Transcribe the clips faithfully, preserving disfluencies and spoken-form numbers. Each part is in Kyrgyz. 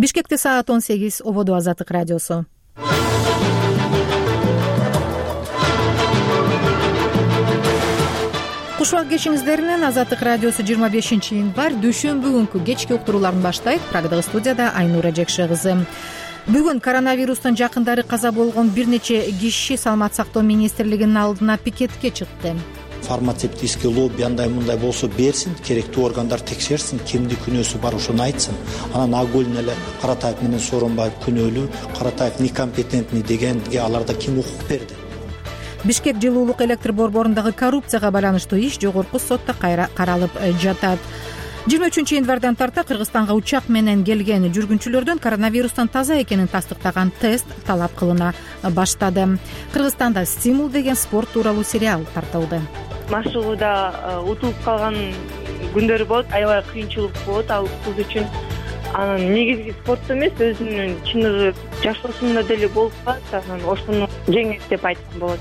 Бишкекте саат он сегиз. Ободо Азаттык радиосу. Куш убак кешиңиздер менен. Азаттык радиосу жыйырма бешинчи январь дүйшөмбү күнкү кечки уктурууларын баштайт. Программадагы студияда Айнура Жекше кызы. Бүгүн коронавирустун жакындары каза болгон бир нече киши Саламат сактоо министрлигинин алдына пикетке чыкты. Фармацевтический лобби андай мындай болсо берсин, керектүү органдар текшерсин, кимди күнөөсү бар ошону айтсын. Анан Агулин эле Каратаев менен Сооронбаев күнөөлүү, Каратаев некомпетентный дегенге аларда ким укук берди? Бишкек жылуулук электр борборундагы коррупцияга байланыштуу иш жогорку сотто каралып жатат. жыйырма үчүнчү январдан тарта Кыргызстанга учак менен келген жүргүнчүлөрдөн коронавирустан таза экенин тастыктаган тест талап кылына баштады. Кыргызстанда «Стимул» деген спорт тууралуу сериал тартылды. Машыгууда утулуп калган күндөр болот, аябай кыйынчылык болот ал кыз үчүн. Анан негизги спортто эмес, өзүнүн чыныгы жашоосунда деле болуп калат, анан ошону жеңет деп айткан болот.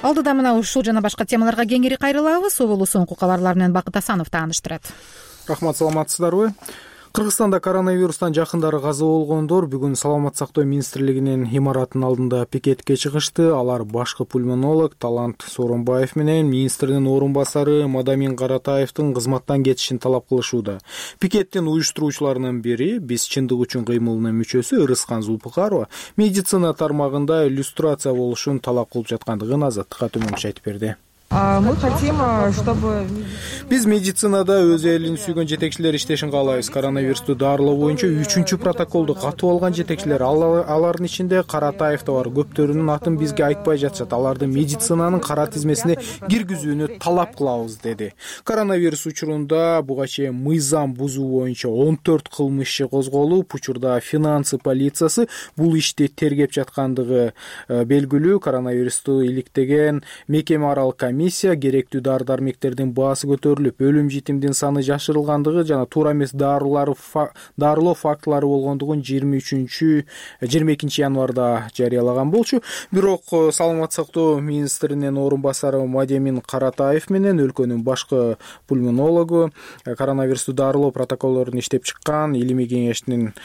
Алдыда мына ушул жана башка темаларга кеңири кайрылабыз. Оболу соңку кабарлар менен Бакыт Асанов тааныштырат. Рахмат, саламатсыздарбы? Кыргызстанда коронавирустан жакындары каза болгондор бүгүн Саламат сактоо министрлигинин имаратынын алдында пикетке чыгышты. Алар башкы пульмонолог Талант Сооронбаев менен министрдин орун басары Мадамин Каратаевдин кызматтан кетишин талап кылышууда. Пикеттин уюштуруучуларынын бири «Биз чындык үчүн кыймылынын мүчөсү» Ырыскан Зулпукарова медицина тармагында иллюстрация болушун талап кылып жаткандыгын Азаттыкка төмөнчө айтып берди. Мы хотим, чтобы... Биз медицинада өз элин сүйгөн жетекчилер иштешин каалайбыз. Коронавирусту дарылоо боюнча үчүнчү протоколду катуу алган жетекчилер, алардын ичинде Каратаев да бар. Көптөрүнүн атын бизге айтпай жатышат. Аларды медицинанын кара тизмесине киргизүүнү талап кылабыз, деди. Коронавирус учурунда буга чейин мыйзам бузуу боюнча он төрт кылмыш иши козголуп, учурда финансы полициясы бул ишти тергеп жаткандыгы белгилүү. Коронавирусту иликтеген мекеме аралык комиссия керектүү дары-дармектердин баасы көтөрүлүп, өлүм житимдин саны жашырылгандыгы жана туура эмес дарылар дарылоо фактылары болгондугун жыйырма үчүнчү жыйырма экинчи январда жарыялаган болчу. Бирок Саламат сактоо министринин орун басары Мадамин Каратаев менен өлкөнүн башкы пульмонологу, коронавирусту дарылоо протоколдорун иштеп чыккан илимий кеңештин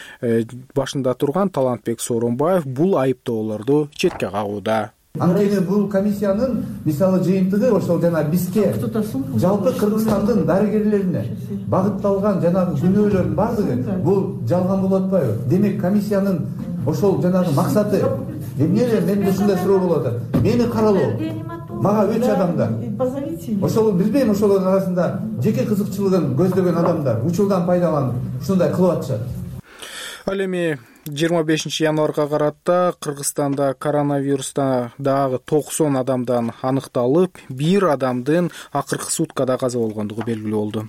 башында турган Талантбек Сооронбаев бул айыптоолорду четке кагууда. Анткени бул комиссиянын мисалы жыйынтыгы ошол жана бизге жалпы Кыргызстандын дарыгерлерине багытталган жанагы күнөөлөрдүн бардыгы бул жалган болуп атпайбы? Демек комиссиянын ошол жанагы максаты эмне эле менде ушундай суроо болуп атат. Мени каралоо мага үч адамдар. Ошол билбейм, ошолордун арасында жеке кызыкчылыгын көздөгөн адамдар учурдан пайдаланып ушундай кылып атышат. Ал эми жыйырма бешинчи январга карата Кыргызстанда коронавируста дагы токсон адамдан аныкталып, бир адамдын акыркы суткада каза болгондугу белгилүү болду.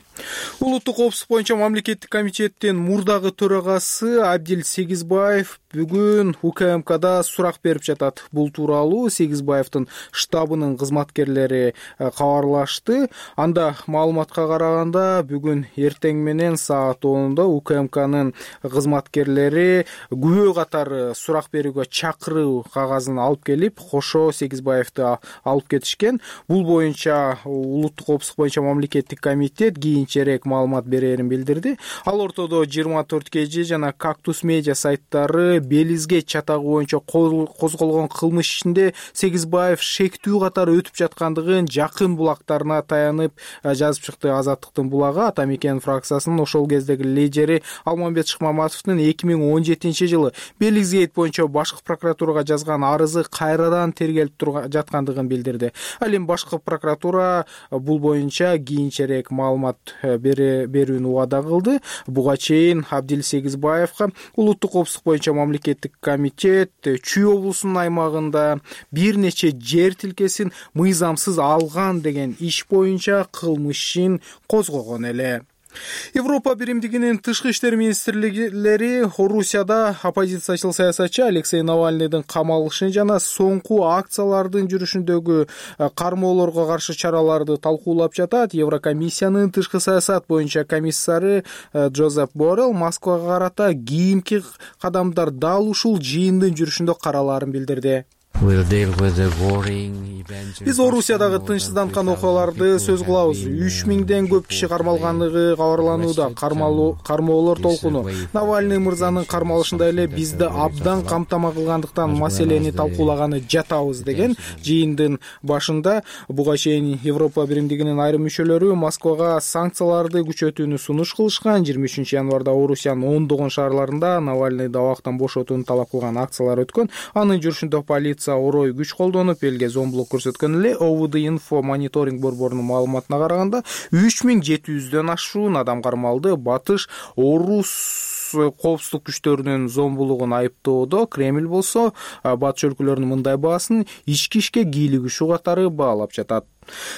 Улуттук коопсуздук боюнча мамлекеттик комитеттин мурдагы төрагасы Абдил Сегизбаев бүгүн У К М Кда сурак берип жатат. Бул тууралуу Сегизбаевдин штабынын кызматкерлери кабарлашты. Анда маалыматка караганда бүгүн эртең менен саат онда У К М Кнын кызматкерлери күбө катары сурак берүүгө чакыруу кагазын алып келип, кошо Сегизбаевди алып кетишкен. Бул боюнча улуттук коопсуздук боюнча мамлекеттик комитет кийинчерээк маалымат берерин билдирди. Ал ортодо жыйырма төрт К Ж жана Кактус медиа сайттары Белизге чатагы боюнча козголгон кылмыш ишинде Сегизбаев шектүү катары өтүп жаткандыгын жакын булактарына таянып жазып чыкты. Азаттыктын булагы Ата Мекен фракциясынын ошол кездеги лидери Алмамбет Шыкмаматовдун эки миң он жетинчи жылы Белизгейт боюнча башкы прокуратурага жазган арызы кайрадан тергелип жаткандыгын билдирди. Ал эми башкы прокуратура бул боюнча кийинчерээк маалымат берүүнү убада кылды. Буга чейин Абдил Сегизбаевга улуттук коопсуздук боюнча мамлекеттик комитет Чүй облусунун аймагында бир нече жер тилкесин мыйзамсыз алган деген иш боюнча кылмышын козгогон эле. Европа биримдигинин тышкы иштер министрликтери Орусияда оппозициячыл саясатчы Алексей Навальныйдын камалышын жана соңку акциялардын жүрүшүндөгү кармоолорго каршы чараларды талкуулап жатат. Еврокомиссиянын тышкы саясат боюнча комиссары Джозеп Боррелл Москвага карата кийинки кадамдар дал ушул жыйындын жүрүшүндө каралаарын билдирди. Биз Орусиядагы тынчсызданткан окуяларды сөз кылабыз. үч миңден көп киши кармалганлыгы кабарланууда. Кармоолор толкуну Навальный мырзанын кармалышында эле бизди абдан камтама кылгандыктан маселени талкуулаганы жатабыз деген жыйындын башында буга чейин Европа биримдигинин айрым мүчөлөрү Москвага санкцияларды күчөтүүнү сунуш кылышкан. жыйырма үчүнчү январда Орусиянын ондогон шаарларында Навальныйды абактан бошотууну талап кылган акциялар өткөн. Анын жүрүшүндө полиция орой күч колдонуп, элге зомбулук көрсөткөн эле. ОВД инфо мониторинг борборунун маалыматына караганда үч миң жети жүздөн ашуун адам кармалды. Батыш Орус коопсуздук күчтөрүнүн зомбулугун айыптоодо. Кремль болсо батыш өлкөлөрүнүн мындай баасын ички ишке кийлигишүү катары баалап жатат.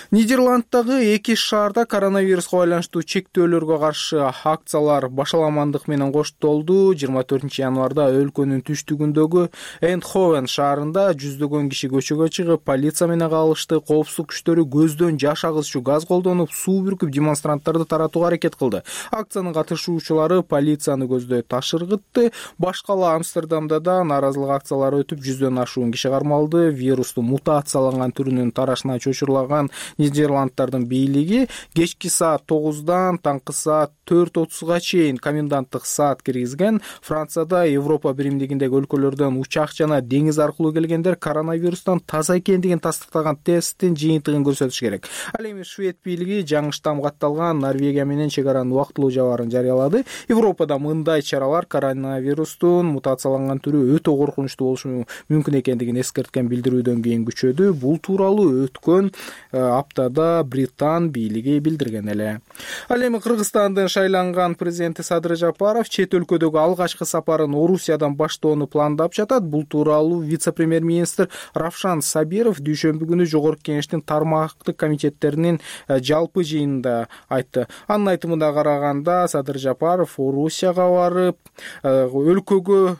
Нидерланддагы эки шаарда коронавируска байланыштуу чектөөлөргө каршы акциялар башаламандык менен коштолду. жыйырма төртүнчү январда өлкөнүн түштүгүндөгү Эндховен шаарында жүздөгөн киши көчөгө чыгып, полиция менен калышты. Коопсуздук күчтөрү көздөн жаш агызчу газ колдонуп, суу бүркүп демонстранттарды таратууга аракет кылды. Акциянын катышуучулары полицияны көздөй таш ыргытты. Башкала Амстердамда да нааразылык акциялары өтүп, жүздөн ашуун киши кармалды. Вирустун мутацияланган түрүнүн тарашына чочурлаган Нидерланддардын бийлиги кечки саат тогуздан таңкы саат төрт отузга чейин коменданттык саат киргизген. Францияда Европа биримдигиндеги өлкөлөрдөн учак жана деңиз аркылуу келгендер коронавирустан таза экендигин тастыктаган тесттин жыйынтыгын көрсөтүш керек. Ал эми Швед бийлиги жаңы штамм катталган Норвегия менен чек аранын убактылуу жабаарын жарыялады. Европада мындай чаралар коронавирустун мутацияланган түрү өтө коркунучтуу болушу мүмкүн экендигин эскерткен билдирүүдөн кийин күчөдү. Бул тууралуу өткөн аптада Британ бийлиги билдирген эле. Ал эми Кыргызстандын шайланган президенти Садыр Жапаров чет өлкөдөгү алгачкы сапарын Орусиядан баштоону пландап жатат. Бул тууралуу вице-премьер-министр Равшан Сабиров дүйшөмбү күнү жогорку кеңештин тармактык комитеттеринин жалпы жыйынында айтты. Анын айтымына караганда Садыр Жапаров Орусияга барып, өлкөгө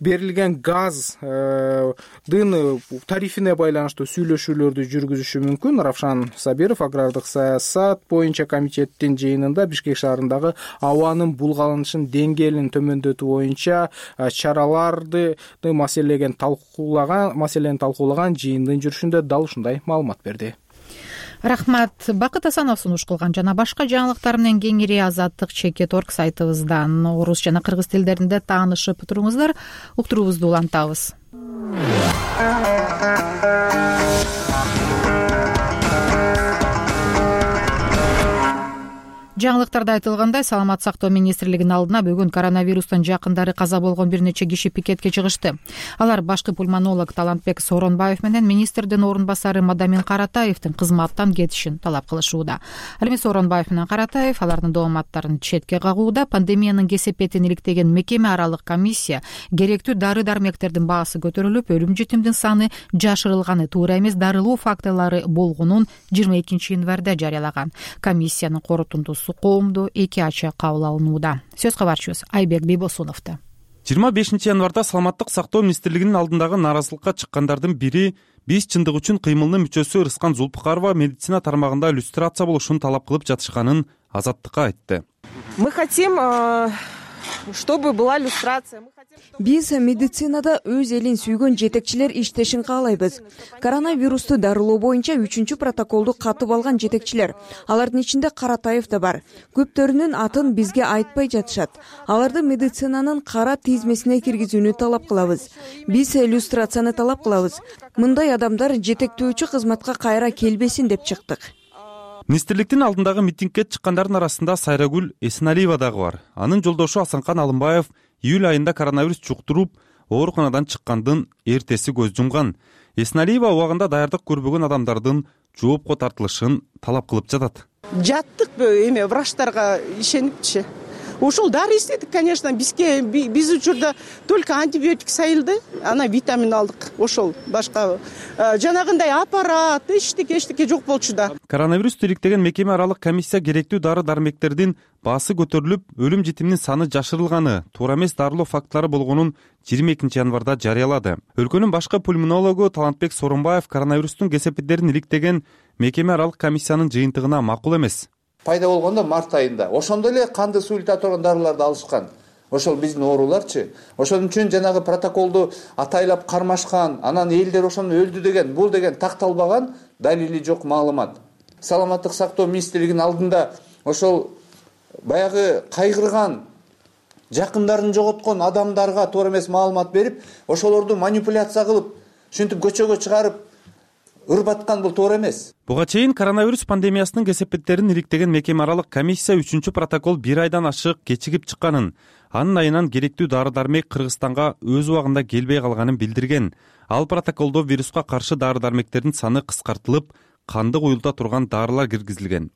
берилген газдын тарифине байланыштуу сүйлөшүүлөрдү жүргүзүшү мүмкүн. Равшан Сабиров агрардык саясат боюнча комитеттин жыйынында Бишкек шаарындагы абанын булгаланышын деңгээлин төмөндөтүү боюнча чараларды маселеген талкуулаган маселени талкуулаган жыйындын жүрүшүндө дал ушундай маалымат берди. Рахмат. Бакыт Асанов сунуш кылган жана башка жаңылыктар менен кеңири Азаттык чекит точка орг сайтыбыздан орус жана кыргыз тилдеринде таанышып туруңуздар. Уктуруубузду улантабыз. Жаңылыктарда айтылгандай, саламат сактоо министрлигинин алдына бүгүн коронавирустан жакындары каза болгон бир нече киши пикетке чыгышты. Алар башкы пульмонолог Талантбек Сооронбаев менен министрдин орун басары Мадамин Каратаевдин кызматтан кетишин талап кылышууда. Ал эми Сооронбаев менен Каратаев алардын дооматтарын четке кагууда. Пандемиянын кесепетин иликтеген мекеме аралык комиссия керектүү дары-дармектердин баасы көтөрүлүп, өлүм житимдин саны жашырылганы, туура эмес дарылоо фактылары болгонун жыйырма экинчи январда жарыялаган. Комиссиянын корутундусу коомдо эки ача кабыл алынууда. Сөз кабарчыбыз Айбек Бийбосуновдо. жыйырма бешинчи январда саламаттык сактоо министрлигинин алдындагы нааразылыкка чыккандардын бири биз чындык үчүн кыймылынын мүчөсү Рыскан Зулпукарова медицина тармагында иллюстрация болушун талап кылып жатышканын Азаттыкка айтты. Мы хотим, чтобы была иллюстрация. Биз медицинада өз элин сүйгөн жетекчилер иштешин каалайбыз. Коронавирусту дарылоо боюнча үчүнчү протоколду катып алган жетекчилер. Алардын ичинде Каратаев да бар. Көптөрүнүн атын бизге айтпай жатышат. Аларды медицинанын кара тизмесине киргизүүнү талап кылабыз. Биз иллюстрацияны талап кылабыз. Мындай адамдар жетектөөчү кызматка кайра келбесин деп чыктык. Министрликтин алдындагы митингке чыккандардын арасында Сайрагүл Эсеналиева дагы бар. Анын жолдошу Асанкан Алымбаев июль айында коронавирус жуктуруп, ооруканадан чыккандын эртеси көз жумган. Эсеналиева убагында даярдык көрбөгөн адамдардын жоопко тартылышын талап кылып жатат. Жаттык эме врачтарга ишенипчи. Ошол дары издедик, конечно, бизге биз учурда только антибиотик сайылды, ана витамин алдык. Ошол башка жанагындай аппарат, эчтеке эчтеке жок болчу да. Коронавирусту иликтеген мекеме аралык комиссия керектүү дары-дармектердин баасы көтөрүлүп, өлүм житимдин саны жашырылганы, туура эмес дарылоо фактылары болгонун жыйырма экинчи январда жарыялады. Өлкөнүн башкы пульмонологу Талантбек Сооронбаев коронавирустун кесепеттерин иликтеген мекеме аралык комиссиянын жыйынтыгына макул эмес. Пайда болгондо март айында. Ошондо эле канды суйлта турган дарыларды алышкан. ошол биздин ооруларчы. Ошон үчүн жанагы протоколду атайлап кармашкан, анан элдер ошону өлдү деген, бул деген такталбаган, далили жок маалымат. Саламаттык сактоо министрлигинин алдында ошол баягы кайгырган, жакындарын жоготкон адамдарга туура эмес маалымат берип, ошолорду манипуляция кылып, ушинтип көчөгө чыгарып ырбаткан бул туура эмес. Буга чейин коронавирус пандемиясынын кесепеттерин иликтеген мекеме аралык комиссия үчүнчү протокол бир айдан ашык кечигип чыкканын, анын айынан керектүү дары-дармек Кыргызстанга өз убагында келбей калганын билдирген. Ал протоколдо вируска каршы дары-дармектердин саны кыскартылып, канды куюлта турган дарылар киргизилген.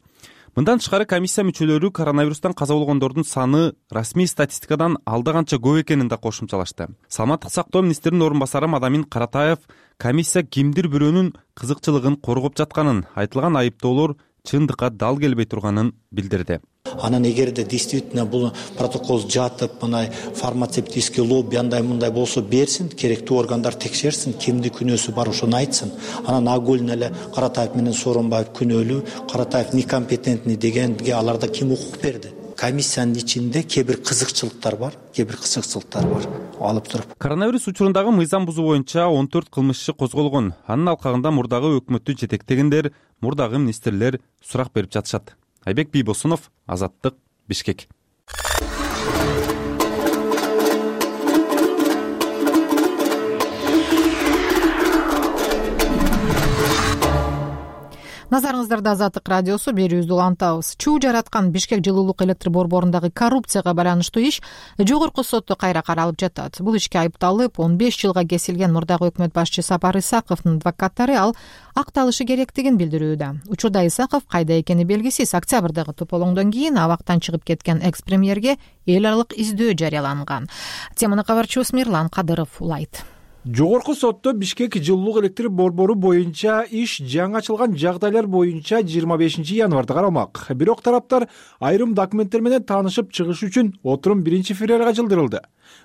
Мындан тышкары комиссия мүчөлөрү коронавирустан каза болгондордун саны расмий статистикадан алда канча көп экенин да кошумчалашты. Саламаттык сактоо министринин орун басары Мадамин Каратаев комиссия кимдир бирөөнүн кызыкчылыгын коргоп жатканын, айтылган айыптоолор чындыкка дал келбей турганын билдирди. Анан эгерде действительно бул протокол жатып, мына фармацевтический лобби андай мындай болсо берсин, керектүү органдар текшерсин, кимди күнөөсү бар ошону айтсын. Анан Агулин эле Каратаев менен Сооронбаев күнөөлүү, Каратаев некомпетентный дегенге аларда ким укук берди? Комиссиянын ичинде кээ бир кызыкчылыктар бар, кээ бир кызыкчылыктар бар алып туруп. Коронавирус учурундагы мыйзам бузуу боюнча он төрт кылмыш иши козголгон. Анын алкагында мурдагы өкмөттү жетектегендер, мурдагы министрлер сурак берип жатышат. Айбек Бийбосунов, Азаттык, Бишкек. Назарыңыздарда Азаттык радиосу, берүүбүздү улантабыз. Чуу жараткан Бишкек жылуулук электр борборундагы коррупцияга байланыштуу иш жогорку сотто кайра каралып жатат. Бул ишке айыпталып он беш жылга кесилген мурдагы өкмөт башчы Сапар Исаковдун адвокаттары ал акталышы керектигин билдирүүдө. Учурда Исаков кайда экени белгисиз. Октябрдагы тополоңдон кийин абактан чыгып кеткен экс-премьерге эл аралык издөө жарыяланган. Теманы кабарчыбыз Мирлан Кадыров улайт. Жогорку сотто Бишкек жылуулук электр борбору боюнча иш жаңы ачылган жагдайлар боюнча жыйырма бешинчи январда каралмак. Бирок тараптар айрым документтер менен таанышып чыгыш үчүн отурум биринчи февралга жылдырылды.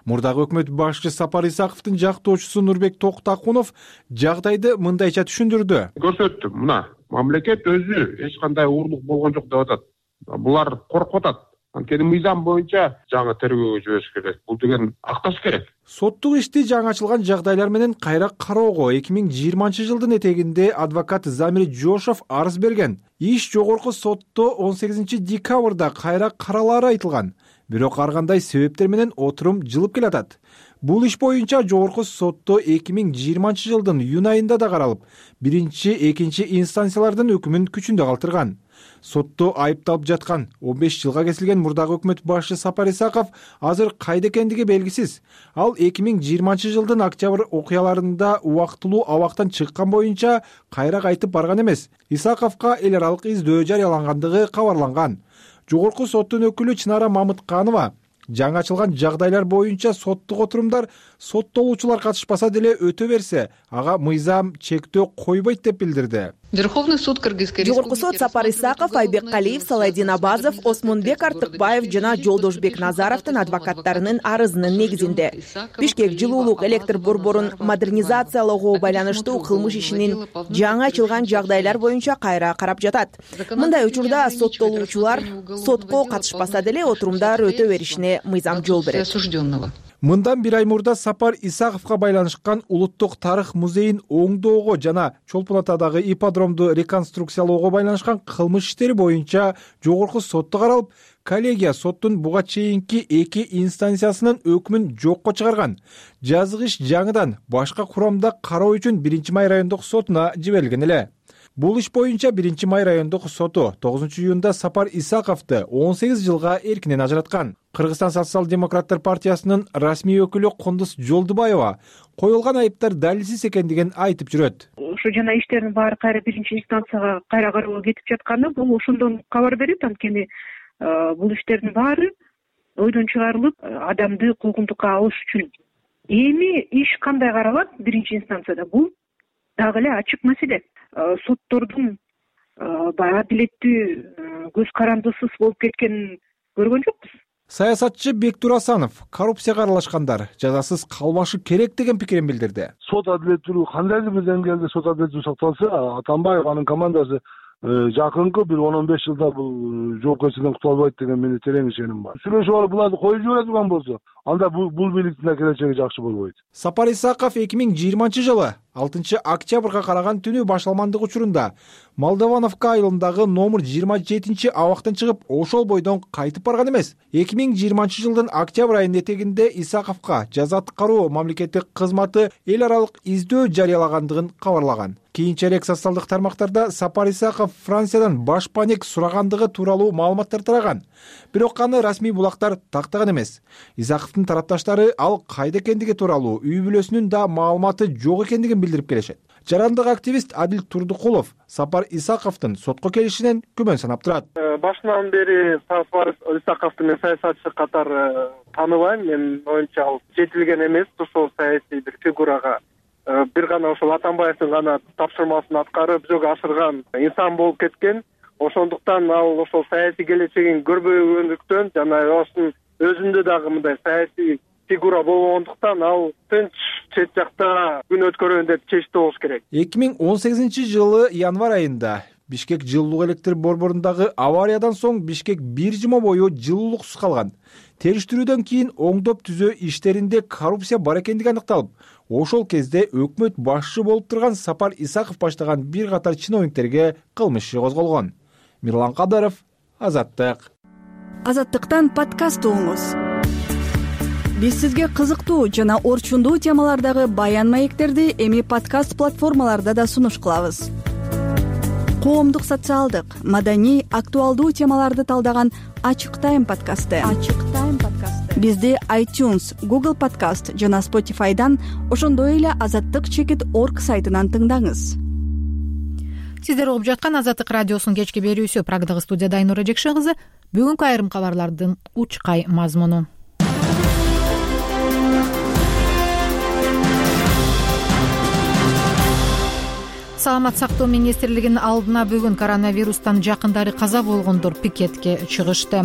Мурдагы өкмөт башчы Сапар Исаковдун жактоочусу Нурбек Токтакунов жагдайды мындайча түшүндүрдү. Көрсөттүм, мына мамлекет өзү эч кандай уурлук болгон жок деп атат. Булар коркуп атат. Анткени мыйзам боюнча жаңы тергөөгө жибериш керек. Бул деген акташ керек. Соттук ишти жаңы ачылган жагдайлар менен кайра кароого эки миң жыйырманчы жылдын этегинде адвокат Замир Жошов арыз берген. Иш жогорку сотто он сегизинчи декабрда кайра каралаары айтылган. Бирок ар кандай себептер менен отурум жылып келатат. Бул иш боюнча жогорку сотто эки миң жыйырманчы жылдын июнь айында да каралып, биринчи, экинчи инстанциялардын өкүмүн күчүндө калтырган. Сотто айыпталып жаткан он беш жылга кесилген мурдагы өкмөт башчы Сапар Исаков азыр кайда экендиги белгисиз. Ал эки миң жыйырманчы жылдын октябрь окуяларында убактылуу абактан чыккан боюнча кайра кайтып барган эмес. Исаковго эл аралык издөө жарыялангандыгы кабарланган. Жогорку соттун өкүлү Чынара Мамытканова жаңы ачылган жагдайлар боюнча соттук отурумдар соттолуучулар катышпаса деле өтө берсе, ага мыйзам чектөө койбойт деп билдирди. Верховный суд Кыргызской Республики. Жогорку сот Сапар Исаков, Айбек Калиев, Салайдин Абазов, Осмонбек Артыкбаев жана Жолдошбек Назаровдун адвокаттарынын арызынын негизинде Бишкек жылуулук электр борборун модернизациялоого байланыштуу кылмыш ишинин жаңы ачылган жагдайлар боюнча кайра карап жатат. Мындай учурда соттолуучулар сотко катышпаса деле отурумдар өтө беришине мыйзам жол берет. Мындан бир ай мурда Сапар Исаковго байланышкан Улуттук тарых музейин оңдоого жана Чолпон Атадагы ипподромду реконструкциялоого байланышкан кылмыш иштери боюнча жогорку сотто каралып, коллегия соттун буга чейинки эки инстанциясынын өкүмүн жокко чыгарган. Жазык иш жаңыдан башка курамда кароо үчүн биринчи май райондук сотуна жиберилген эле. Бул иш боюнча биринчи май райондук соту тогузунчу июнда Сапар Исаковду он сегиз жылга эркинен ажыраткан. Кыргызстан социал-демократтар партиясынын расмий өкүлү Кондус Жолдубаева коюлган айыптар далилсиз экендигин айтып жүрөт. Ошо жана иштердин баары кайра биринчи инстанцияга кайра кароого кетип жатканы бул ошондон кабар берет. Анткени бул иштердин баары ойдон чыгарылып, адамды куугунтукка алыш үчүн. Эми иш кандай каралат биринчи инстанцияда? Бул дагы эле ачык маселе. Соттордун баягы адилеттүү көз карандысыз болуп кеткенин көргөн жокпуз. Саясатчы Бектур Асанов коррупцияга аралашкандар жазасыз калбашы керек деген пикирин билдирди. Сот адилеттүүлүгү кандайдыр бир деңгээлде сот адилеттүүлүгү сакталса, Атамбаев анын командасы жакынкы бир он он беш жылда бул жоопкерчиликтен кутула албайт деген менде терең ишеним бар. Сүйлөшүп алып буларды коюп жибере турган болсо, анда бул бийликтин да келечеги жакшы болбойт. Сапар Исаков эки миң жыйырманчы жылы алтынчы октябрга караган түнү башталмандык учурунда Молдовановка айылындагы номер жыйырма жетинчи абактан чыгып, ошол бойдон кайтып барган эмес. эки миң жыйырманчы жылдын октябрь айынын этегинде Исаковго жаза аткаруу мамлекеттик кызматы эл аралык издөө жарыялагандыгын кабарлаган. Кийинчерээк социалдык тармактарда Сапар Исаков Франциядан башпанек сурагандыгы тууралуу маалыматтар тараган. Бирок аны расмий булактар тактаган эмес. Исаковдун тарапташтары ал кайда экендиги тууралуу үй бүлөсүнүн да маалыматы жок экендигин билдирип келишет. Жарандык активист Адил Турдукулов Сапар Исаковдун сотко келишинен күмөн санап турат. Башынан бери Сапар Исаковду мен саясатчы катары тааныбайм. Менин оюмча ал жетилген эмес, ошол саясий бир фигурага бир гана ошол Атамбаевдин гана тапшырмасын аткарып жүзөгө ашырган инсан болуп кеткен. Ошондуктан ал ошол саясий келечегин көрбөгөндүктөн жана ошонун өзүндө дагы мындай саясий фигура болгондуктан ал тынч чет жакта күн өткөрөйүн деп чечти болуш керек. эки миң он сегизинчи жылы январь айында Бишкек жылуулук электр борборундагы авариядан соң Бишкек бир жума бою жылуулуксуз калган. Териштирүүдөн кийин оңдоп түзөө иштеринде коррупция бар экендиги аныкталып, ошол кезде өкмөт башчы болуп турган Сапар Исаков баштаган бир катар чиновниктерге кылмыш иши козголгон. Мирлан Кадыров, Азаттык. Азаттыктан подкаст угуңуз. Биз сизге кызыктуу жана орчундуу темалардагы баян маектерди эми подкаст платформаларда да сунуш кылабыз. Коомдук, социалдык, маданий, актуалдуу темаларды талдаган Ачык Тайм подкасты. Ачык Тайм подкасты. Бизди iTunes, Google Podcast жана Spotify'дан, ошондой эле азаттык чекит орг сайтынан тыңдаңыз. Сиздер угуп жаткан Азаттык радиосунун кечки берүүсү. Прагдагы студияда Айнура Жекшен кызы. Бүгүнкү айрым кабарлардын учкай мазмуну. Саламат сактоо министрлигинин алдына бүгүн коронавирустан жакындары каза болгондор пикетке чыгышты.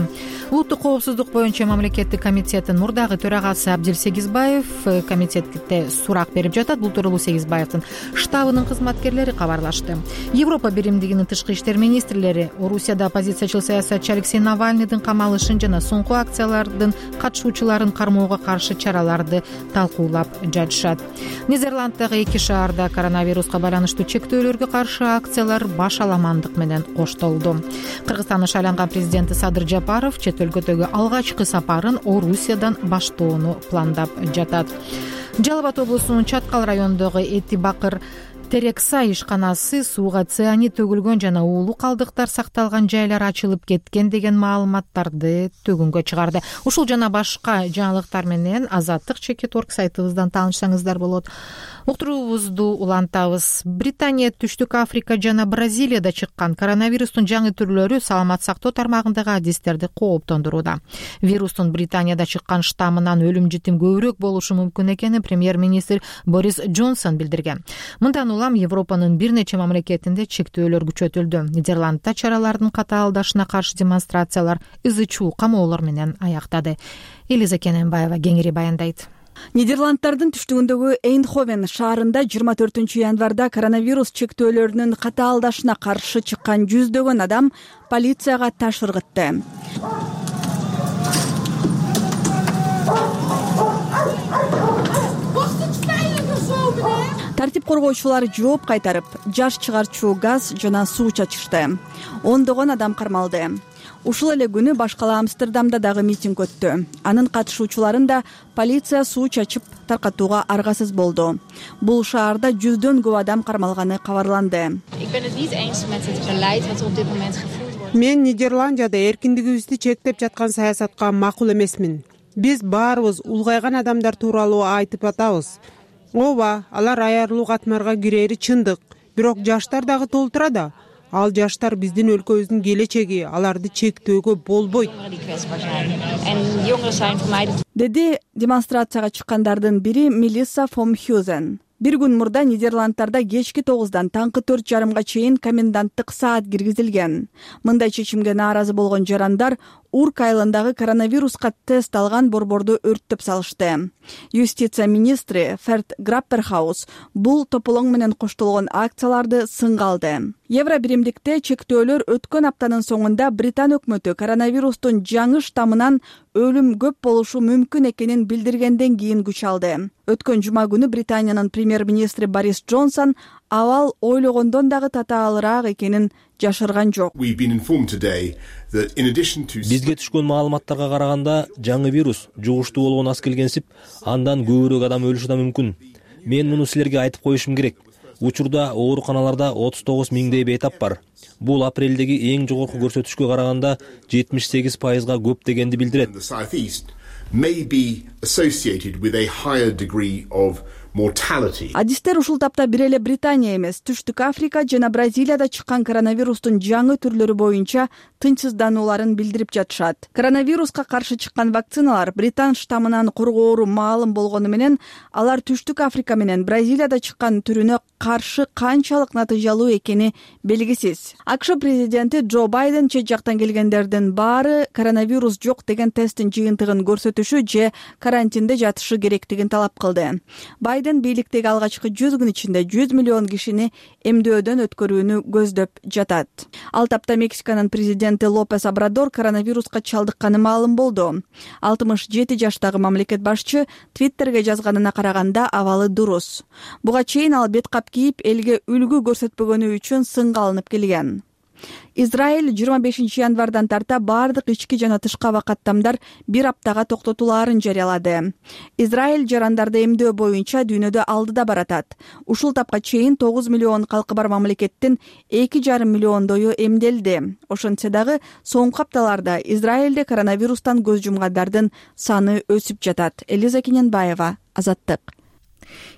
Улуттук коопсуздук боюнча мамлекеттик комитеттин мурдагы төрагасы Абдил Сегизбаев комитетте сурак берип жатат. Бул тууралуу Сегизбаевдин штабынын кызматкерлери кабарлашты. Европа биримдигинин тышкы иштер министрлери Орусияда оппозициячыл саясатчы Алексей Навальныйдын камалышын жана соңку акциялардын катышуучуларын кармоого каршы чараларды талкуулап жатышат. Нидерланддагы эки шаарда коронавируска байланыштуу чектөөлөргө каршы акциялар баш аламандык менен коштолду. Кыргызстандын шайланган президенти Садыр Жапаров чет өлкөдөгү алгачкы сапарын Орусиядан баштоону пландап жатат. Жалал Абад облусунун Чаткал районундагы Эти Бакыр Терексай ишканасы сууга цианид төгүлгөн жана уулуу калдыктар сакталган жайлар ачылып кеткен деген маалыматтарды төгүнгө чыгарды. Ушул жана башка жаңылыктар менен Азаттык чекит орг сайтыбыздан таанышсаңыздар болот. Уктуруубузду улантабыз. Британия, Түштүк Африка жана Бразилияда чыккан коронавирустун жаңы түрлөрү саламат сактоо тармагындагы адистерди кооптондурууда. Вирустун Британияда чыккан штаммынан өлүм житим көбүрөөк болушу мүмкүн экенин премьер-министр Борис Джонсон билдирген. Мындан улам Европанын бир нече мамлекетинде чектөөлөр күчөтүлдү. Нидерландда чаралардын катаалдашына каршы демонстрациялар ызы чуу камоолор менен аяктады. Элиза Кененбаева кеңири баяндайт. Нидерланддардын түштүгүндөгү Эйндховен шаарында жыйырма төртүнчү январда коронавирус чектөөлөрүнүн катаалдашына каршы чыккан жүздөгөн адам полицияга таш ыргытты. Тартип коргоочулар жооп кайтарып, жаш чыгарчу газ жана суу чачышты. Ондогон адам кармалды. Ушул эле күнү башкала Амстердамда дагы митинг өттү. Анын катышуучуларын да полиция суу чачып таркатууга аргасыз болду. Бул шаарда жүздөн көп адам кармалганы кабарланды. Мен Нидерландияда эркиндигибизди чектеп жаткан саясатка макул эмесмин. Биз баарыбыз улгайган адамдар тууралуу айтып атабыз. Ооба, алар аярлуу катмарга кирери чындык, бирок жаштар дагы толтура да. Ал жаштар биздин өлкөбүздүн келечеги, аларды чектөөгө болбойт. Деди демонстрацияга чыккандардын бири Мелисса фон Хюзен. Бир күн мурда Нидерланддарда кечки тогуздан таңкы төрт жарымга чейин коменданттык саат киргизилген. Мындай чечимге нааразы болгон жарандар Урк айылындагы коронавируска тест алган борборду өрттөп салышты. Юстиция министри Ферд Грапперхаус бул тополоң менен коштолгон акцияларды сынга алды. Евро биримдикте чектөөлөр өткөн аптанын соңунда Британ өкмөтү коронавирустун жаңы штаммынан өлүм көп болушу мүмкүн экенин билдиргенден кийин күч алды. Өткөн жума күнү Британиянын премьер-министри Борис Джонсон абал ойлогондон дагы татаалыраак экенин жашырган жок. Бизге түшкөн маалыматтарга караганда жаңы вирус жугуштуу болгон аз келгенсип, андан көбүрөөк адам өлүшү да мүмкүн. Мен муну силерге айтып коюшум керек. Учурда ооруканаларда отуз тогуз миңдей бейтап бар. Бул апрелдеги эң жогорку көрсөтүшкө караганда жетимиш сегиз пайызга көп дегенди билдирет. Адистер ушул тапта бир эле Британия эмес, Түштүк Африка жана Бразилияда чыккан коронавирустун жаңы түрлөрү боюнча тынчсызданууларын билдирип жатышат. Коронавируска каршы чыккан вакциналар Британ штаммынан коргоору маалым болгону менен, алар Түштүк Африка менен Бразилияда чыккан түрүнө каршы канчалык натыйжалуу экени белгисиз. АКШ президенти Джо Байден чет жактан келгендердин баары коронавирус жок деген тесттин жыйынтыгын көрсөтүшү же карантинде жатышы керектигин талап кылды. Байден бийликтеги алгачкы жүз күн ичинде жүз миллион кишини эмдөөдөн өткөрүүнү көздөп жатат. Ал тапта Мексиканын президенти Лопес Обрадор коронавируска чалдыкканы маалым болду. алтымыш жети жаштагы мамлекет башчы Твиттерге жазганына караганда абалы дурус. Буга чейин ал бет кап кийип, элге үлгү көрсөтпөгөнү үчүн сынга алынып келген. Израиль жыйырма бешинчи январдан тарта бардык ички жана тышкы аба каттамдар бир аптага токтотулаарын жарыялады. Израиль жарандарды эмдөө боюнча дүйнөдө алдыда баратат. Ушул тапка чейин тогуз миллион калкы бар мамлекеттин эки жарым миллиондою эмделди. Ошентсе дагы соңку апталарда Израилде коронавирустан көз жумгандардын саны өсүп жатат. Элиза Кененбаева, Азаттык.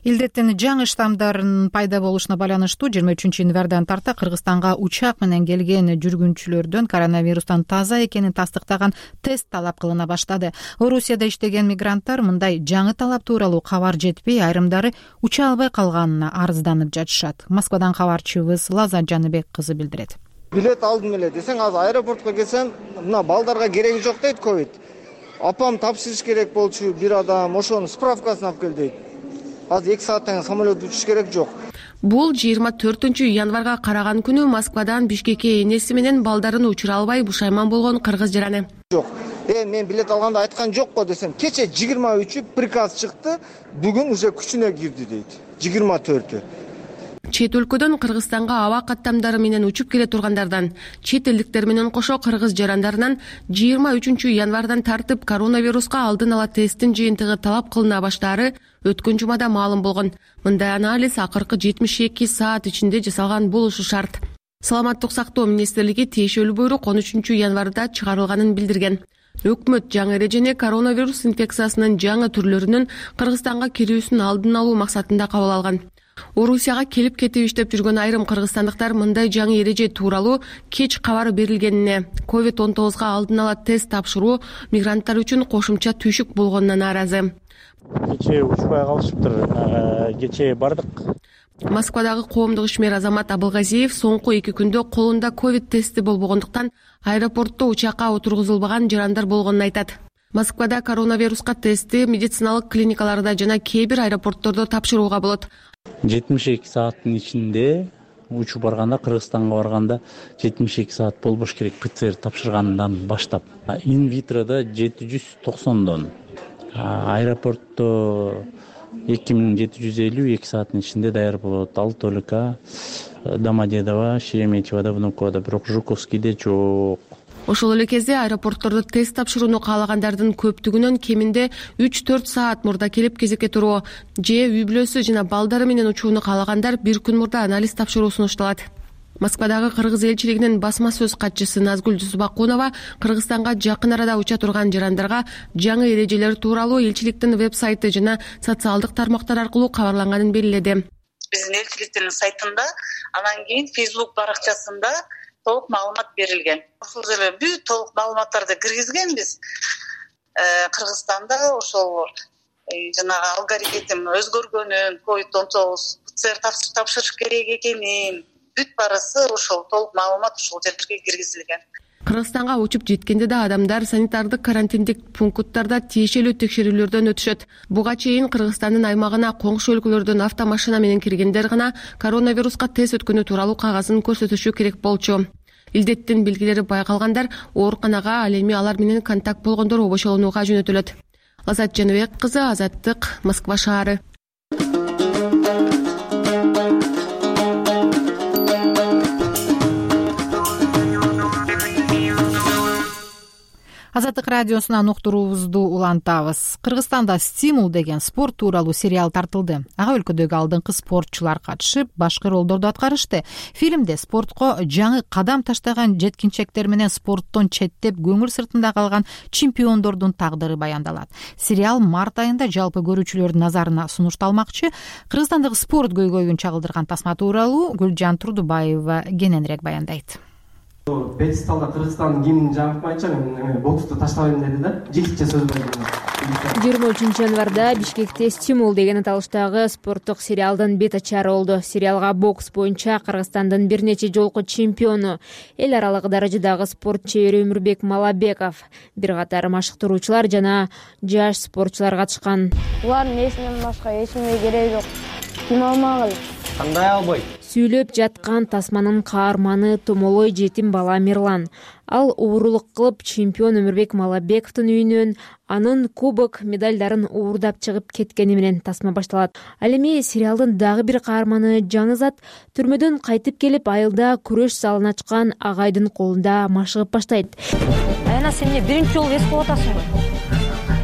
Илдеттин жаңы штамдардын пайда болушуна байланыштуу жыйырма үчүнчү январдан тарта Кыргызстанга учак менен келген жүргүнчүлөрдөн коронавирустан таза экенин тастыктаган тест талап кылына баштады. Орусияда иштеген мигранттар мындай жаңы талап тууралуу кабар жетпей, айрымдары уча албай калганына арызданып жатышат. Москвадан кабарчыбыз Лаза Жаныбек кызы билдирет. Билет алдым эле десең, азыр аэропортко келсем, мына балдарга кереги жок дейт ковид. Апам тапшырыш керек болчу бир адам, ошонун справкасын алып кел дейт. Азыр эки сааттан самолет учуш керек жок. Бул жыйырма төртүнчү январга караган күнү Москвадан Бишкекке энеси менен балдарын учура албай бушайман болгон кыргыз жараны. Жок. Э, мен билет алганда айткан жокко десем, кече жыйырма үчү приказ чыкты, бүгүн уже күчүнө кирди дейт. жыйырма төртү. Чет өлкөдөн Кыргызстанга аба каттамдары менен учуп келе тургандардан, чет элдиктер менен кошо кыргыз жарандарынан жыйырма үчүнчү январдан тартып коронавируска алдын ала тесттин жыйынтыгы талап кылына баштаары өткөн жумада маалым болгон. Мындай анализ акыркы жетимиш эки саат ичинде жасалган болушу шарт. Саламаттык сактоо министрлиги тиешелүү буйрук он үчүнчү январда чыгарылганын билдирген. Өкмөт жаңы эрежени коронавирус инфекциясынын жаңы түрлөрүнүн Кыргызстанга кирүүсүн алдын алуу максатында кабыл алган. Орусияга келип кетип иштеп жүргөн айрым кыргызстандыктар мындай жаңы эреже тууралуу кеч кабар берилгенине, ковид он тогузга алдын ала тест тапшыруу мигранттар үчүн кошумча түйшүк болгонуна нааразы. Кечээ учпай калышыптыр, кечээ бардык. Москвадагы коомдук ишмер Азамат Абылгазиев соңку эки күндө колунда ковид тести болбогондуктан аэропортто учакка отургузулбаган жарандар болгонун айтат. Москвада коронавируска тестти медициналык клиникаларда жана кээ бир аэропорттордо тапшырууга болот. жетимиш эки сааттын ичинде учуп барганда, Кыргызстанга барганда жетимиш эки саат болбош керек ПЦР тапшыргандан баштап. Инвитрода жети жүз токсондон, аэропортто эки миң жети жүз элүү эки сааттын ичинде даяр болот. Ал только Домодедово, Шереметьевода, Внуковода, бирок Жуковскийде жок. Ошол эле кезде аэропорттордо тест тапшырууну каалагандардын көптүгүнөн кеминде үч төрт саат мурда келип кезекке туруу же үй бүлөсү жана балдары менен учууну каалагандар бир күн мурда анализ тапшыруу сунушталат. Москвадагы кыргыз элчилигинин басма сөз катчысы Назгүл Жусупакунова Кыргызстанга жакын арада уча турган жарандарга жаңы эрежелер тууралуу элчиликтин веб-сайты жана социалдык тармактар аркылуу кабарланганын белгиледи. Биздин элчиликтин сайтында, анан кийин Facebook баракчасында толук маалымат берилген. Ошол жерге бүт толук маалыматтарды киргизгенбиз. Кыргызстанда ошол жанагы алгоритм өзгөргөнүн, ковид он тогуз ПЦР тапшырыш керек экенин, бүт барысы ошол толук маалымат ошол жерге киргизилген. Кыргызстанга учуп жеткенде да адамдар санитардык карантиндик пункттарда тиешелүү текшерүүлөрдөн өтүшөт. Буга чейин Кыргызстандын аймагына коңшу өлкөлөрдөн автомашина менен киргендер гана коронавируска тест өткөнү тууралуу кагазын көрсөтүшү керек болчу. Илдеттин белгилери байкалгандар ооруканага, ал эми алар менен контакт болгондор обошолонууга жөнөтүлөт. Азат Жаныбек кызы, Азаттык, Москва шаары. Азаттык радиосунан уктуруубузду улантабыз. Кыргызстанда «Стимул» деген спорт тууралуу сериал тартылды. Ага өлкөдөгү алдыңкы спортчулар катышып, башкы ролдорду аткарышты. Фильмде спортко жаңы кадам таштаган жеткинчектер менен спорттон четтеп көңүл сыртында калган чемпиондордун тагдыры баяндалат. Сериал март айында жалпы көрүүчүлөрдүн назарына сунушталмакчы. Кыргызстандагы спорт көйгөйүн чагылдырган тасма тууралуу Гүлжан Турдубаева кененирээк баяндайт. Пьедесталда Кыргызстандын гимнин жабыркмайынча мен боксту таштабайм деди да. Жигитче сөз берди. жыйырма үчүнчү январда Бишкекте «Стимул» деген аталыштагы спорттук сериалдын бет ачары болду. Сериалга бокс боюнча Кыргызстандын бир нече жолку чемпиону, эл аралык даражадагы спортчу Өмүрбек Малабеков, бир катар машыктыруучулар жана жаш спортчулар катышкан. Булардын эсинен башка эч неме кереги жок. Ким алмагыл? Кандай албайт? Сүйлөп жаткан тасманын каарманы томолой жетим бала Мирлан. Ал уурулук кылып чемпион Өмүрбек Малабековдун үйүнөн анын кубок медалдарын уурдап чыгып кеткени менен тасма башталат. Ал эми сериалдын дагы бир каарманы Жаңызат түрмөдөн кайтып келип айылда күрөш залын ачкан агайдын колунда машыгып баштайт. Айна, сен эмне биринчи жолу эс кылып атасың го?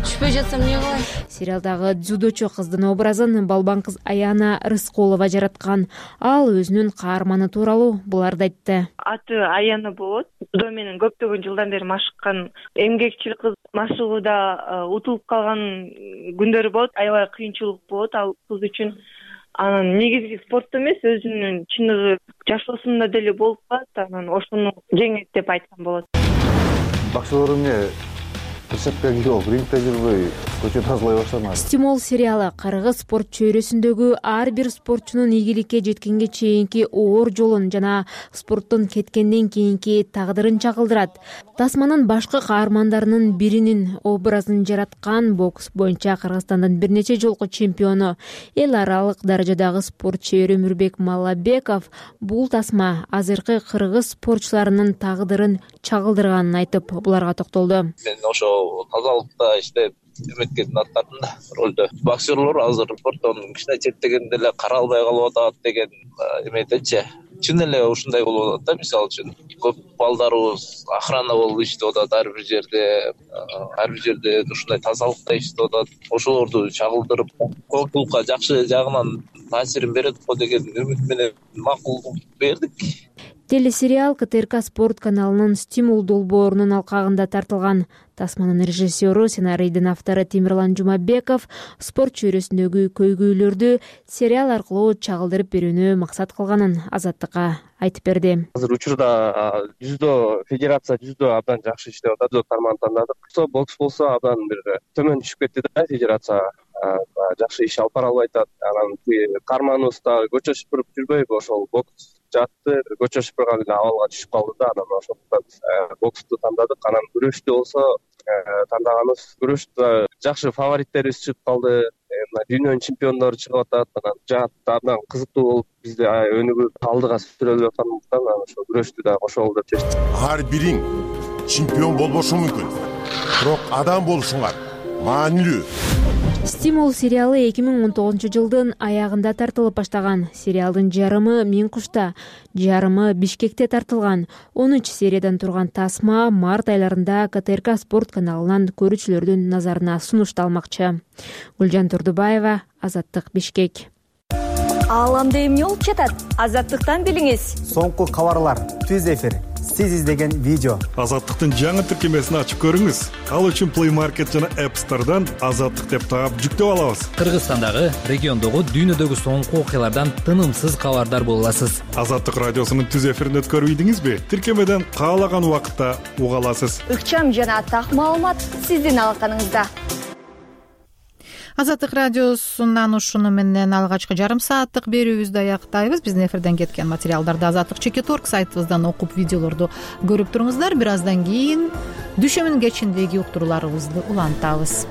Түшпөй жатсам эмне кылай? Сериалдагы дзюдочу кыздын образын балбан кыз Аяна Рыскулова жараткан. Ал өзүнүн каарманы тууралуу буларды айтты. Аты Аяна болот. Дзюдо менен көптөгөн жылдан бери машыккан эмгекчил кыз. Машыгууда утулуп калган күндөрү болот, аябай кыйынчылык болот ал кыз үчүн. Анан негизги спортто эмес, өзүнүн чыныгы жашоосунда деле болуп калат. Анан ошону жеңет деп айткан болот. Бакчалар эмне Рецептке кирип, рингде жүрбөй, көчө тазалай баштадым. «Стимул» сериалы кыргыз спорт чөйрөсүндөгү ар бир спортчунун ийгиликке жеткенге чейинки оор жолун жана спорттон кеткенден кийинки тагдырын чагылдырат. Тасманын башкы каармандарынын биринин образын жараткан бокс боюнча Кыргызстандын бир нече жолку чемпиону, эл аралык даражадагы спортчу Өмүрбек Малабеков бул тасма азыркы кыргыз спортчуларынын тагдырын чагылдырганын айтып, буларга токтолду. Мен ошо тазалыкта иштеп эметкендин аттардым да ролдо. Боксерлор азыр спорттон кичине четтегенде эле кара албай калып атат деген эметечи. Чын эле ушундай болуп атат да, мисалы үчүн көп балдарыбыз охрана болуп иштеп атат ар бир жерде, ар бир жерде ушундай тазалыкта иштеп атат. Ошолорду чагылдырып, коомчулукка жакшы жагынан таасирин берет го деген үмүт менен макулдук бердик. Телесериал ка тэ эр ка спорт каналынын «Стимул» долбоорунун алкагында тартылган. Тасманын режиссеру, сценарийдин автору Темирлан Жумабеков спорт чөйрөсүндөгү көйгөйлөрдү сериал аркылуу чагылдырып берүүнү максат кылганын Азаттыкка айтып берди. Азыр учурда жүздө федерация жүздө абдан жакшы иштеп атат, жүздө карман тандадык. Бокс болсо абдан бир төмөн түшүп кетти да, федерация жакшы иш алып бара албай атат. Анан карманыбыз да көчө шыпырып жүрбөйбү, ошол бокс жатты, көчө шыпырган эле абалга түшүп калды да, анан ошондуктан боксту тандадык. Анан күрөштү болсо тандаганыбыз, күрөштө жакшы фавориттерибиз чыгып калды. Дүйнөнүн чемпиондору чыгып атат. Анан жаатта абдан кызыктуу болуп, бизде өнүгүп алдыга сүрөлүп аткандыктан ошо күрөштү да кошолду деп чечтик. Ар бириң чемпион болбошу мүмкүн, бирок адам болушуңар маанилүү. «Стимул» сериалы эки миң он тогузунчу жылдын аягында тартылып баштаган. Сериалдын жарымы Миң кушта, жарымы Бишкекте тартылган. он үч сериядан турган тасма март айларында ка тэ эр ка спорт каналынан көрүүчүлөрдүн назарына сунушталмакчы. Гүлжан Турдубаева, Азаттык, Бишкек. Ааламда эмне болуп жатат? Азаттыктан билиңиз. Соңку кабарлар, түз эфир, сиз издеген видео. Азаттыктын жаңы тиркемесин ачып көрүңүз. Ал үчүн Play Market жана App Store'дан Азаттык деп таап жүктөп алабыз. Кыргызстандагы, региондогу, дүйнөдөгү соңку окуялардан тынымсыз кабардар боло аласыз. Азаттык радиосунун түз эфирин өткөрүп ийдиңизби? Тиркемеден каалаган убакытта уга аласыз. Ыкчам жана так маалымат сиздин алаканыңызда. азаттык радиосунан ушуну менен алгачкы жарым сааттык берүүбүздү аяктайбыз. Биздин эфирден кеткен материалдарды азаттык чекит орг сайтыбыздан окуп, видеолорду көрүп туруңуздар. Бир аздан кийин дүшөмүн кечиндеги уктурууларыбызды улантабыз.